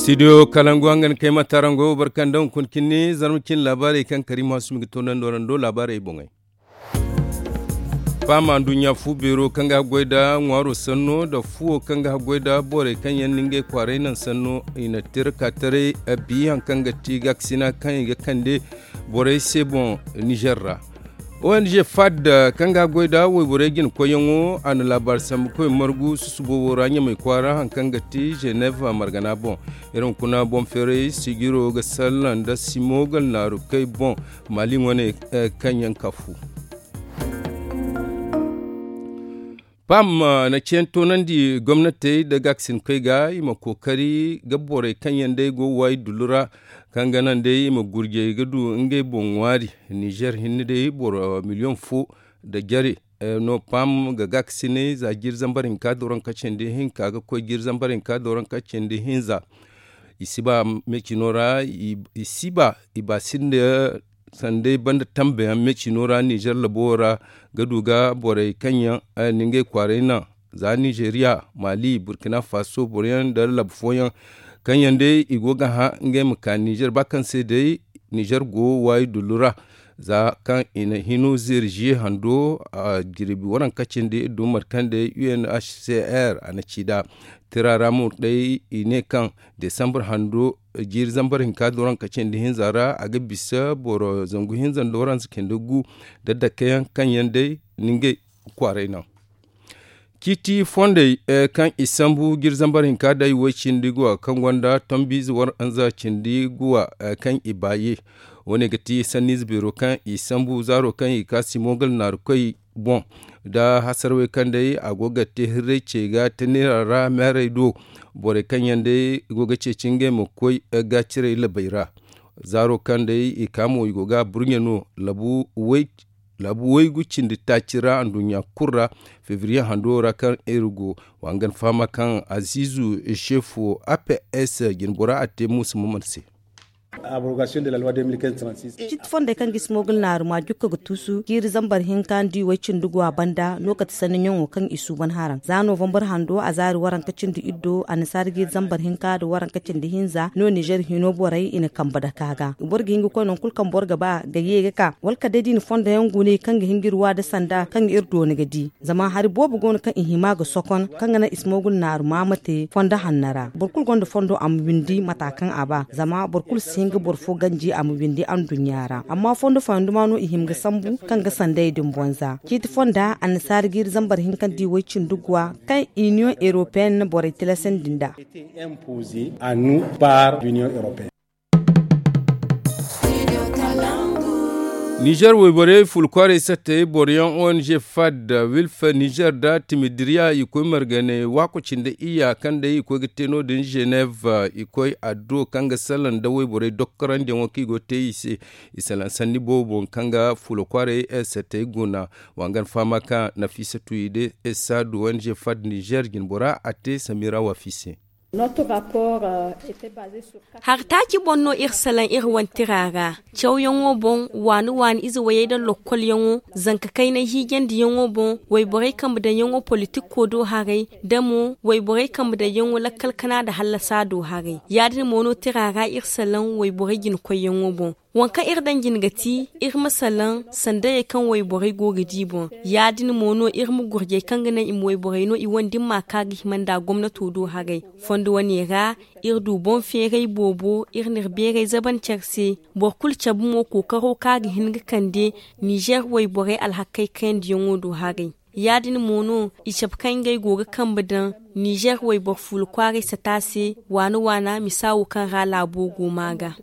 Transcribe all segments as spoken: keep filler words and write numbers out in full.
Studio kalangu hangan kay ma taarango barka nda hunkuna cine zarma cine laabaarey kaŋ kariima hasumi ga toonandi warando laabaarey boŋey. Paama nduɲɲa fu beero kaŋ ga haggoy nda ŋwaaro sanno nda fuwo kaŋ ga haggoy nda borey kaŋ yaŋ na ngey kwaaray naŋ sanno i na tira ka taray. Bi hari kaŋ ga ti gaakasina kaŋ i ga kande borey se boŋ nizer ra. Ong fad kaŋ ga goy nda wayborey jina koyyaŋo a na laabaari sambu koy margu susu boobo ra ɲamay kwaara hari kaŋ ga ti ženev margana boŋ. Iri hunkuna boŋ feeray sijiro ga sallaŋ nda simogal naaru kay boŋ maali wane kaŋ yaŋ ka fu. Pam na ceeyaŋ toonandi gomnatey nda gaakasinkoy ga i ma kookari ga borey kaŋ yaŋ day go waayi dullu ra kaŋ ga naŋ day i ma gurjey ga du ngey boŋ ŋwaari. Nizer hinne day boro miliyoŋ fo nda jare no pam ga gaakasinay za jiiri zambar hinka dooranka cindi hinka ga koy jiiri zambar hinka dooranka cindi hinza. I si ba me cino ra i si ba i ba sinda sanday banda tambe yaŋ me cino ra nizer labo ra ga du ga borey kaŋ yaŋ na ngey kwaaray naŋ za nizeriya, mali, burkina faso boro yaŋ nda labu fooyaŋ kaŋ yaŋ day i go ga hã ngey ma ka nizer ba kaŋ se day nizer go waayi dullu ra. Za kaŋ i na hino zeeri ziye hando a jirbi waranka cindi iri du mate kaŋ day u n h c r a na ci nd'a tira ra mo day i ne kaŋ desambar hando jiiri zambar hinka dooranka cindi hinza ra a ga bisa boro zangu hinza nda waranza cindi gu nda dake yaŋ kaŋ yaŋ day na ngey kwaaray naŋ. Ciiti fondey kaŋ i sambu jiiri zambar hinka day way cindi guwa kaŋ gonda tombiize waranza cindi guwa kaŋ i baaye. Wo- ne ga ti sanniize beero kaŋ i sambu zaaro kaŋ i ga ka simogal naaru koy boŋ nda hasarwey kaŋ day a go ga te hirray ce ga te neera ra meerey do. Borey kaŋ yaŋ day go ga ceeci ngey ma koy gaacirey labey ra. Zaaro kaŋ day i ka mo i go ga burɲe no laabu waygu cindi taaci ra anduɲɲa kulu ra febriye hando ra kaŋ iri go. Wa hangan fahama kaŋ aziizu seefo a p s jinbora a te muusa maman se. Ciiti fondey kaŋ ga ismogul naaru ma jukka ga tuusu jiiri zambar hinka nda i way cindi go a banda no kate sanni ɲaŋo kaŋ i suuban haraŋ za novambar hando a zaari waranka cindi iddo annasaara jiiri zambar hinka nda waranka cindi hinza no nizer hino borey i na kambe dake a ga boro ga hin ga koy nangu kulu kaŋ boro ga ba ga ye ga ka wala kala day da i na fondo yaŋ gune kaŋ ga hin ga iri wa nda sanda kaŋ ga iri doona ga di. Zama hari boobo go no kaŋ i hima ga sokon kaŋ ga naŋ ismogul naaru ma ma te fondo hanno ra boro kulu gonda fondo a ma windi mata kaŋ a ba zama boro kulu si hin ga boro fo ganji a ma windi anduɲɲa ra amma fondo fooyaŋ duma no i hima ga sambu kaŋ ga sanday din boŋ za ciiti fonda annasaara jiiri zambar hinka nda i way cindi guwa kaŋ iniyoŋ eropeyenne borey tilasandi nd'a. Nizer wayborey fula kwaaray sattey boro yaŋ ong fad wilfe nizer nda timidiriya i koy marganey waako cindi iyya kaŋ day i koy ga te no- din ženev i koy addo kaŋ ga salaŋ nda wayborey dokkorandiyaŋo kaŋ i go ga te i se. I salaŋ sanni boobo boŋ kaŋ ga fula kwaaray sattey guna. Wa hangan fahama kaŋ nafiisatu i de saadu ong fad nizer jinbora a te samira waafi se. Hari taaci boŋ no iri salaŋ iri wane tira ra. Cawyaŋo boŋ waani waani ize wayey nda lokkolyaŋo zanka kaynay hiijandiyaŋo boŋ wayborey kambe daŋyaŋo politikko do haray nda mo wayborey kambe daŋyaŋo lakkal kana nda hallasa do haray ya- din mo no tira ra iri salaŋ wayborey jinakoyyaŋo boŋ. Waŋ kaŋ iri daŋ jine ga ti iri ma salaŋ sandayey kaŋ wayborey go ga di boŋ. Ya- din mo no iri ma gurjey kaŋ ga naŋ i ma wayborey no i wane da ni m'a ka ga hima nda gomnato do haray. Fondo wane ra iri du boŋ feeray boobo iri n'iri beeray zaban care se. Boro kulu cabe mo kookaro kaŋ a ga hin ga kande nizer wayborey alhakey kayandiyaŋo do haray. Ya- din mo no i cabe kaŋ ngey go ga kambe daŋ nizer wayboro fuula kwaaray sata se waana waana misa wo kaŋ ra laabo go ma ga.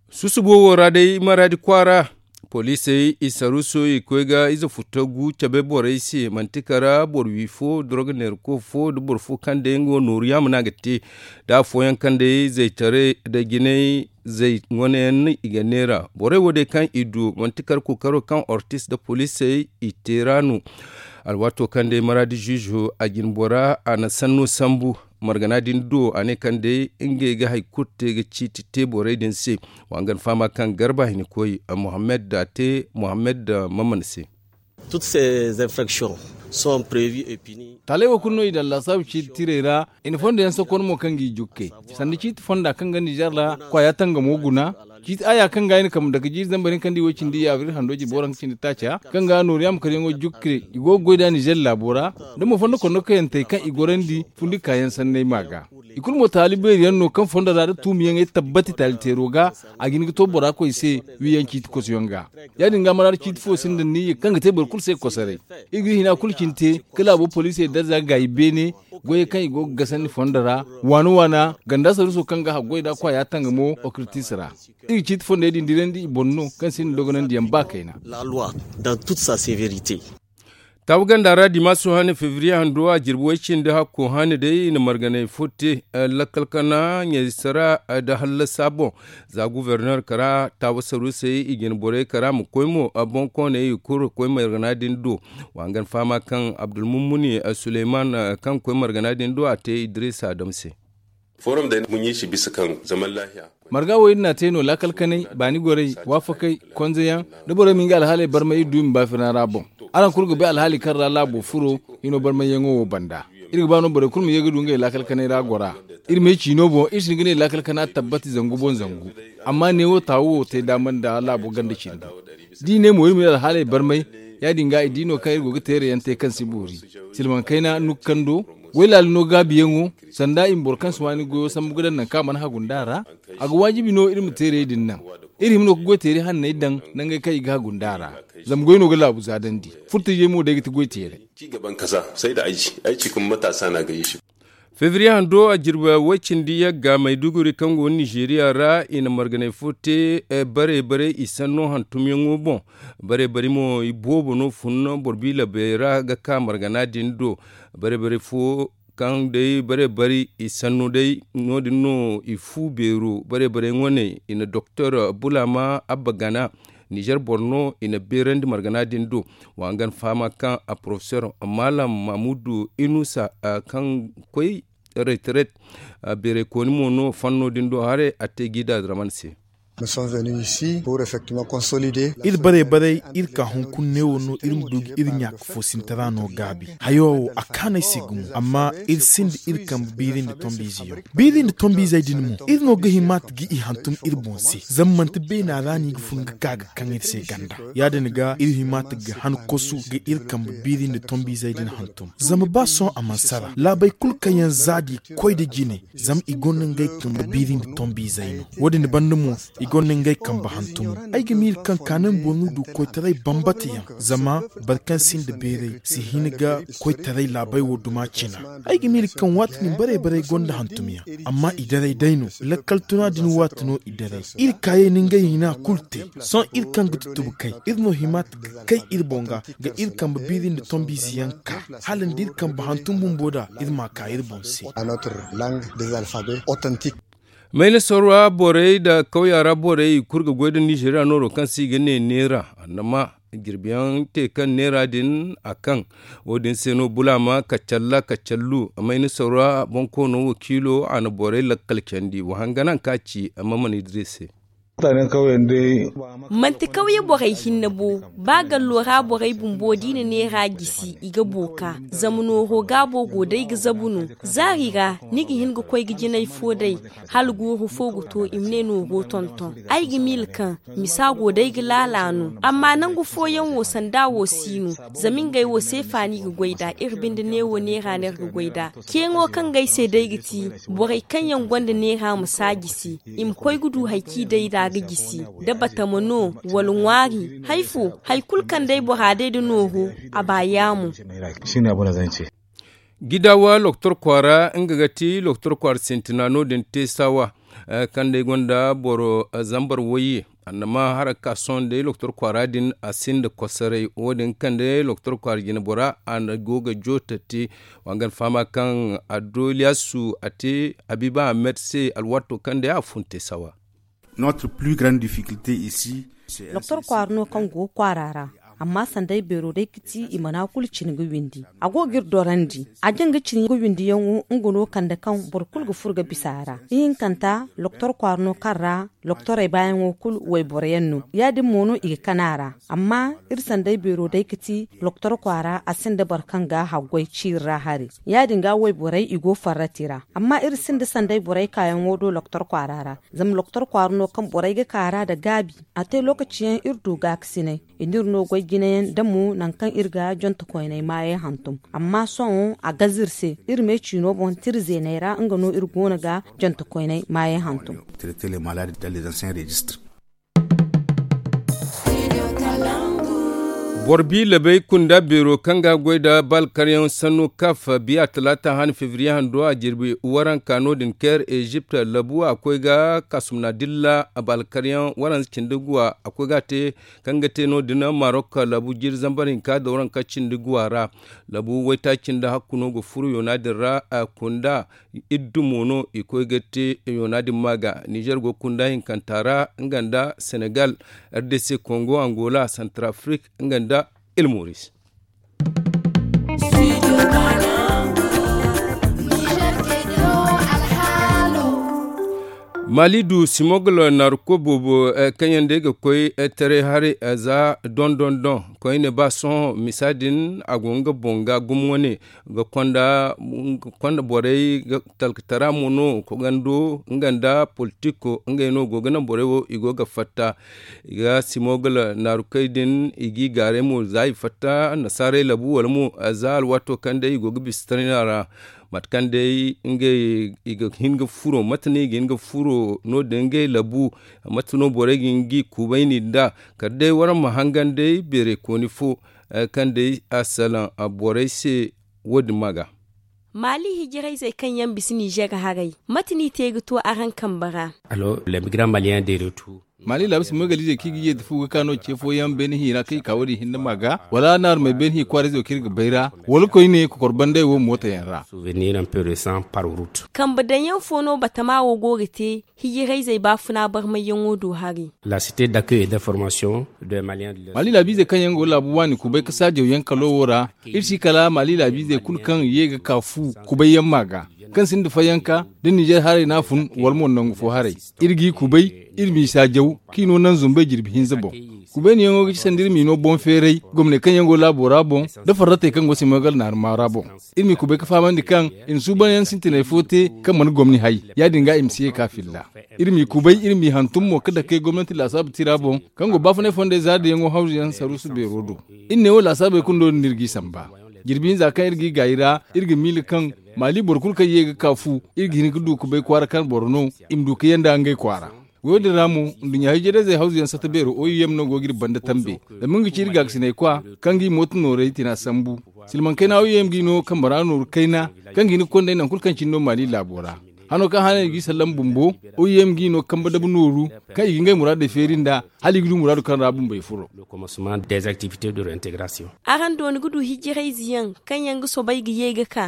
Susubo wo ra day maraadi kwaara poliisey i saruuso i koy ga ize futtagu cabe borey se manti kara boro wi fo doroga neerako fo nda boro fo kaŋ day nga wo nooru yaama no a ga te. Da afooyaŋ kaŋ day zaytaray da jinay zay wane yaŋ no i ga neera borey wo day kaŋ i du manti kara kookaro kaŋ ortis nda poliisey i te ra no. Alwaato kaŋ day maraadi ziizo a jine bora a na sanno sambu margana din do a ne kaŋ day ngey ga hari kulu te ga ciiti te borey din se. Wa hangan fahama kaŋ garba hina koy mohammed da te mohammed da mamman se. Toutes ces infractions Taaley wo kulu no i daŋ laasaabu ciiti tirey ra. I na fondo yaŋ sokon mo kaŋ ga i jukkey sanda ciiti fonda kaŋ ga nizer ra kwaaya tangamo guna. Ciiti aya kaŋ ga i na kambe dake jiiri zambar hinka nda i wo cindi i abril hando jirbi waranka cindi taaca kaŋ ga nooru yaamkaryaŋo jukke i go ga goy nd'a nizer laabo ra. Da mo fondo kondokayantey kaŋ i gorandi fundi kaayaŋ sanney ma ga. I kulu mo taali beeri yaŋ no kaŋ fondo ra da tuumiyaŋey tabbati taali teero ga. A ga hin ga to bora koy se wiiyaŋ ciiti kosoyaŋ ga. Ya- din ga maraada ciiti fo sinda niyya kaŋ ga te boro kulu se kosoray. Iri ga iri hina kulu cine te ka laabo poliisey darza ga gaayi beene. Goyey kaŋ i go ga gasandi fondo ra waana waana ganda saruuso kaŋ ga haggoy nd'a kwaaya tangamo okritis ra. Iri ga ciiti fondey din dirandi i boŋ no kaŋ sinda dogonandiyaŋ ba kayna. Taabu ganda ra dimaso hane febriye hando a jirbi way cindi hakko hane day i na marganay fo te. Lakkal kana ɲaysara nda hallasa boŋ. Za guberner kara taabu saruusey i jine borey kara ma koy mo boŋkooney i kulu koy margana din do. Wa hangan fahama kaŋ abdulmummuni suleyman kaŋ koy margana din do a te idrisa adam se. Forum day mun yi shi bisa kan zaman lahiya. Marga wo iri n'a te no laakal kanay baani gorey waafakey konzeyaŋ da borey ma nga alhaaley barmay iri du i ma baafina ra boŋ. Araŋ kulu ga bay alhaali kaŋ ra laabo furo hino barmayyaŋo wo banda. Iri ga ba no borey kulu ma ye ga du ngey laakal kanay ra gora. Iri ma ay ciino boŋ iri si hin ga ne laakal kana tabbati zangu boŋ zangu. Amma neewo taawo wo te daama nda laabo ganda cindi. Da i ne mo iri ma iri alhaaley barmay ya- din ga i di no kaŋ iri go ga teere yaŋ te kaŋ si boori. Silmaŋ kayna nukkando waylaali no gaabiyaŋo sanda i ma boro kaŋ si waani goyo sambu ga daŋ nangu kaŋ a mana hagu nd'a ra. A ga waajibi no iri ma teerey din naŋ. Iri hima no ga goyteeri hanney daŋ nangey kaŋ i ga hagu nd'a ra. Zama goy no ga laabu zaadandi. Furtajey mo day ga ti goyteerey. Ci gaban kasa sai da aiki aiki kuma matasa na gayi shi. Febriye hando a jirbi way cindi yagga mayduguri kaŋ go nizeeriya ra i na marganay fo te. Bare bare i sanno hantumyaŋo boŋ. Bare bare mo i boobo no fun boro biila bay ra ga ka margana din do. Bare bare fo kaŋ day bare bare i sanno day no- din no i fu beero bare bare ŋwaney i na doktor bulama abba gana. Nizer boro no i na beerandi margana din do. Wa hangan fahama kaŋ a porofesor maalam mahmudu inusa kaŋ koy reteret. Beerey kooni mo no fanno din do haray a te gida draman se. Iri bare bare iri ka hunkuna neewo no iri ma du ga iri ɲaaka foosintara no gaabi. Hayo wo a kaanu ay se gumo amma iri sinda iri kambe biiri nda tombiize yaŋ. Biiri nda tombiizey din mo iri no ga hima ta ga i hantum iri boŋ se zama manti beena ra no i ga fun ga ka ga kaŋ iri se ganda. Ya- din ga iri hima ta ga han kosu ga iri kambe biiri nda tombiizey din hantum zama ba sohõ a mana sara laabey kulu kaŋ yaŋ za da i koy nda jine. Zama i gonda ngey kambe biiri nda tombiizey no. Wo- din banda mo i gonda ngey kambe hantumo. Ay ga miila kaŋ kaanay boro no du koytaray bambata yaŋ zama boro kaŋ sinda beeray si hin ga koytaray laabey wo duma cina. Ay ga miila kaŋ waati din bare bare gonda hantumyaŋ amma i daray day no. Lakkal tuna din waati no i daray. Iri kaayey na ngey hina kulu te. Sohõ iri kaŋ ga tutubu kay iri no hima ta ga kay iri boŋ ga ga iri kambe biiri nda tombiize yaŋ ka hala nda iri kambe hantum bumbo da iri ma ka iri boŋ se. Mayna sorwa borey nda kawya ra borey i kulu ga goy nda nizeeriya nooro kaŋ se i ga ne neera annama jirbiyaŋ te kaŋ neera din a kaŋ. Wo- din se no bulaama kacalla kacallu mayna sorwa boŋ koono wakiilo a na borey lakkal candi wa hangan haŋ kaŋ a ci amma mana idire se. Manti kawye borey hinne bo. Ba gallo ra borey bumbo da i na neera gisi i ga booka. Zama nooro gaabo go day ga zabu no. Zaari ra ni ga hin ga koy ga jinay fo day. Hala guuru fo ga to i ma ne nooro tonton ay ga miila kaŋ misa go day ga laala no amma nangu fooyaŋ wo sanda wo si no. Zama ngey wo seefa no i ga goy nd'a iri binde neewo neera no iri ga goy nd'a. Ceeŋo kaŋ ga ay se day ga ti borey kaŋ yaŋ gonda neera ma si a gisi. I ma koy ga du hari kaŋ i day nd'a ga gisi da batama no wala ŋwaari hari fo hari kulu kaŋ day bora day nda nooro. A ba yaamo. Gidaawa loktor kwaara nga ga ti loktor kwaara sintina no- din te saawa. Kaŋ day gonda boro zambar wayye annama hara ga ka sohõ day loktor kwaara din a sinda kosoray wo- din kaŋ day loktor kwaara jinabora a na go ga joota te. Wa nga alfahama kaŋ addo ilyasu a te habiiba ahmed se alwaato kaŋ day a fun te saawa. Doktor kwaara no kaŋ go kwaara ra. Amma sanday beero day ga ti i mana kulu cine ga windi. A go ga iri dorandi a jaŋ ga cine ga windiyaŋo nga no kande kaŋ boro kulu ga furo ga bisa a ra. Ihinkanta loktor kwaara no kaŋ ra loktorey baayaŋo kulu wayboro yaŋ no ya- din mo no i ga kana a ra. Amma iri sanday beero day ga ti loktor kwaara a sinda boro kaŋ ga haggoy ciiri ra hari. Ya- din ga wayborey i go farrati ra. Amma iri sinda sanday borey kaayaŋo do loktor kwaara ra. Zama loktor kwaara no kaŋ borey ga ka a ra nda gaabi. A te lookaci yaŋ iri du gaakasinay i n'iri no goy jinayaŋ da mo nangu kaŋ iri ga jonte koyney maayey hantum. Amma sohõ a gaze iri se iri me ciino boŋ tira zeeney ra nga no iri go no ga jonte koyney maayey hantum. Boro bi labey kunda beero kaŋ ga goy nda balkaryaŋ sannu kaf biya talaata han febriye hando a jirbi waranka no- din kair ezipt labu a koy ga kasumna dilla balkaryaŋ waranza cindi guwa a koy ga a te kaŋ ga te no- din marok labu jiiri zambar hinka da waranka cindi guwa ra. Labu waytaaci nda hakku no ga furo yoona din ra kunda iddu mo no i koy ga te yoona din ma ga nizer go kunda hinkanta ra nga nda senegal, rdc kongo angola santarafrik nga nda ilmoris. Mali du simogolo narko boobo kaŋ yaŋ day ga koy taray hari za dondon don koyne ba sohõ misa din a go nga boŋ ga gumo wane ga konda borey talkatara mo no kogando nga nda politiko ngey no go ga naŋ borey wo i go ga fatta. I ga simogala naarukey din i g'i gaaray mo za i fatta annasaarey labu wala mo za alwaato kaŋ day i go ga bisa tarina ra. Mate kaŋ day ngey i ga hin ga furo mate no i ga hin ga furo no- din ngey labu. Mate no borey ga hin g'i kubayni nd'a kala day waraŋ ma hangan day beerey kooni fo kaŋ day a salaŋ borey se. Wo- din ma ga. Maali hijirayzey kaŋ yaŋ bisa ninzeer haray mate no i te ga to araŋ kambe ra? Maali laabu simogalizey kaŋ i ga ye da fu ga ka no ce fooyaŋ beene hi ra kaŋ i ka wo- din hinne ma ga wala naarumey beene hi kwaarayzey wo kaŋ iri ga bay ra wala koyne kokor banday wo mooto yaŋ ra. Kambe daŋ yaŋ fo no batama wo go ga te hijirayzey baafuna barmayyaŋo do hari. Maali laabiizey kaŋ yaŋ go laabu waani kubay ka saajaw yaŋ kalo wo ra iri si kala maali laabiizey kulu kaŋ ye ga ka fu kubayyaŋ ma ga kaŋ sinda fayanka da ninzeer haray no a fun wala mo nangu fo haray. Iri g'i kubay iri m'i saajaw kaŋ i no naŋ zumbay jirbi hinza boŋ. Kubayniyaŋo ga ci sanda iri m'i no boŋ feeray gomney kaŋ yaŋ go laabo ra boŋ da farratey kaŋ go simogal naaruma ra boŋ. Iri m'i kubay ga fahamandi kaŋ i na suubanyaŋ sintinay fo te kaŋ mana gomni hay ya- din ga i ma si ye ka filla. Iri m'i kubay iri m'i hantum mo ga dakey gomnanti laasaabu tira boŋ kaŋ go baafunay fondey zaaridiyaŋo hawzuyaŋ saruusu beero do. Iri ne wo laasaabey kulu no- din no iri g'i samba. Jirbi hinza kaŋ iri g'i gaayi ra iri ga miila kaŋ maali boro kulu kaŋ ye ga ka fu iri ga hin ga du ga bay kwaara kaŋ boro no i ma du ga yanda ngey kwaara. Wo- din ra mo nduɲɲa hijirayzey hawzuyaŋ satta beero oyem no go ga iri banda tambe. Zama nga ga ci iri gaakasinay kwa kaŋ ga i mooto noorey tina sambu. Silmaŋ kayna oyem ga i no kambe ra nooru kayna kaŋ ga hin ga konda nangu kulu kaŋ cine no maali laabo ra. Hano kaŋ hane i g'i sallam bumbo oyem g'i no kambe dabu nooru kaŋ i ga ngey muraadey feeri nd'a hala i ga du muraadu kaŋ ra bumbey furo. Araŋ dooni ga du hijirayze yaŋ kaŋ yaŋ ga soobay ga ye ga ka.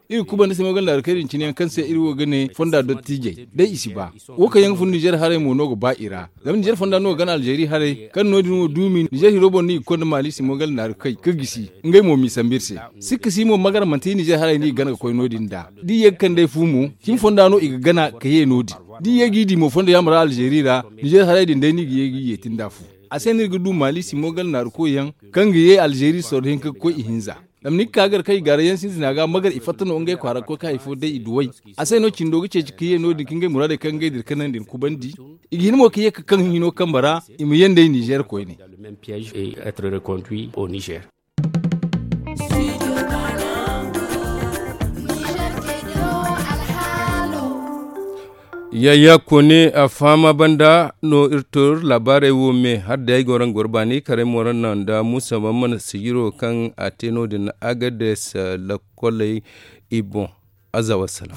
Iri ga kuba nda simogal naarukey din cine yaŋ kaŋ se iri wo ga ne fonda dottiijey day i si ba. Wo kaŋ yaŋ ga fun nizeer haray mo no ga ba i ra. Zama nizeer fonda no ga gana alzeeri haray kaŋ no- din wo duumi nizeer hiro boŋ no i ga konda maali simogal naarukey ga gisi ngey mo m'i sambu iri se. Sikka si mo magara manti nizeer haray no i ga gana ga koy no- din nd'a da i ye ga kand'ey fu mo cimi fonda no i ga gana ga ye no- din. Da i ye g'i di mo fondo yaama ra alzeeri ra nizeer haray din day no i ga ye g'i yeeti nd'a fu. A se no iri ga du maali simogal naaruko yaŋ kaŋ ga ye alzeeri sorro hinka ga koy ihinza. Zama ni ga ka gar kaŋ i gaaray yaŋ sintina ga magar i fatta no ngey kwaara ga koy ka hari fo day i duw'ey. A se no cindo ga ceeci ga ye no- din ka ngey muraadey kaŋ ngey dira kanandi ni kubandi. I ga hin mo ga ye ga kaŋ hino kambe ra i ma ye nd'ey nizeer koyne. Yayya koone a fahama banda no iri to iri laabaarey wo me hala day ay go ra nga goro baani karay mo ra naŋ nda muusa man mana sijiro kaŋ a te no- din agades. Lakoley i boŋ. Aza wassalam.